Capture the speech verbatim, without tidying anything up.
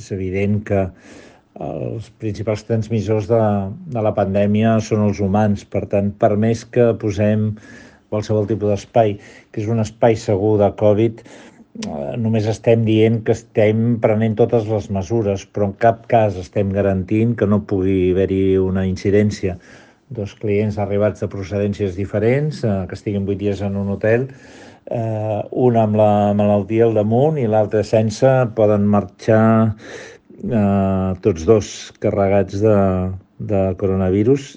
és evident que els principals transmissors de, de la pandèmia són els humans. Per tant, per més que posem qualsevol tipus d'espai, que és un espai segur de Covid, eh, només estem dient que estem prenent totes les mesures, però en cap cas estem garantint que no pugui haver-hi una incidència. Dos clients arribats de procedències diferents, eh, que estiguin vuit dies en un hotel, eh, un amb la malaltia al damunt i l'altre sense, poden marxar eh, tots dos carregats de, de coronavirus